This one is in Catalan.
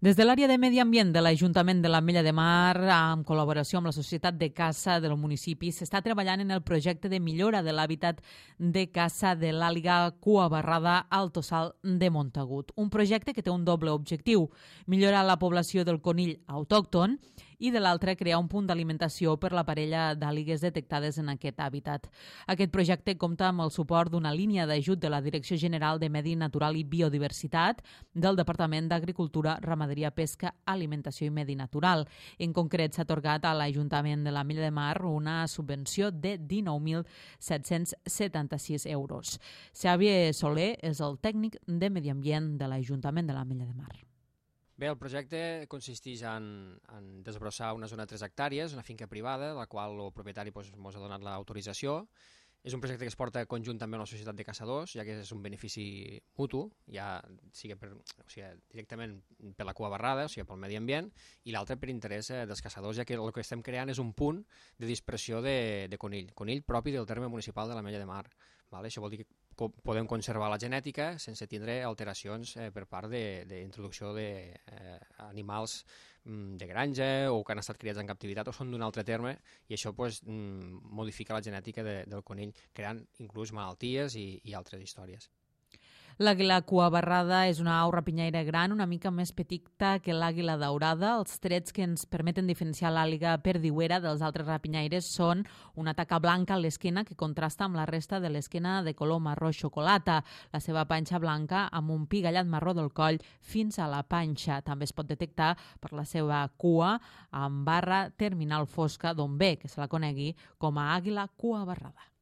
Des de l'àrea de Medi Ambient de l'Ajuntament de l'Ametlla de Mar, en col·laboració amb la Societat de Caça del municipi, s'està treballant en el projecte de millora de l'hàbitat de caça de l'àliga cua barrada al Tossal de Montagut. Un projecte que té un doble objectiu: millorar la població del conill autòcton i, de l'altre, crear un punt d'alimentació per la parella d'àligues detectades en aquest hàbitat. Aquest projecte compta amb el suport d'una línia d'ajut de la Direcció General de Medi Natural i Biodiversitat del Departament d'Agricultura, Ramaderia, Pesca, Alimentació i Medi Natural. En concret, s'ha atorgat a l'Ajuntament de l'Ametlla de Mar una subvenció de 19.776 euros. Xavier Soler és el tècnic de Medi Ambient de l'Ajuntament de l'Ametlla de Mar. Bé, el projecte consisteix en desbrossar una zona de 3 hectàrees, una finca privada, la qual el propietari ens ha donat l'autorització. És un projecte que es porta conjuntament amb la Societat de Caçadors, ja que és un benefici mutu, ja sigui directament per la cua barrada, o sigui pel medi ambient, i l'altre per interès dels caçadors, ja que el que estem creant és un punt de dispersió de conill propi del terme municipal de l'Ametlla de Mar. Això vol dir que podem conservar la genètica sense tindre alteracions per part d'introducció d'animals de granja o que han estat criats en captivitat o són d'un altre terme, i això modifica la genètica del conill, creant inclús malalties i altres històries. L'àguila cua barrada és una au rapinyaire gran, una mica més petita que l'àguila daurada. Els trets que ens permeten diferenciar l'àliga perdiuera dels altres rapinyaires són una taca blanca a l'esquena que contrasta amb la resta de l'esquena de color marró xocolata, la seva panxa blanca amb un pigallat marró del coll fins a la panxa. També es pot detectar per la seva cua amb barra terminal fosca, d'on ve que se la conegui com a àguila cua barrada.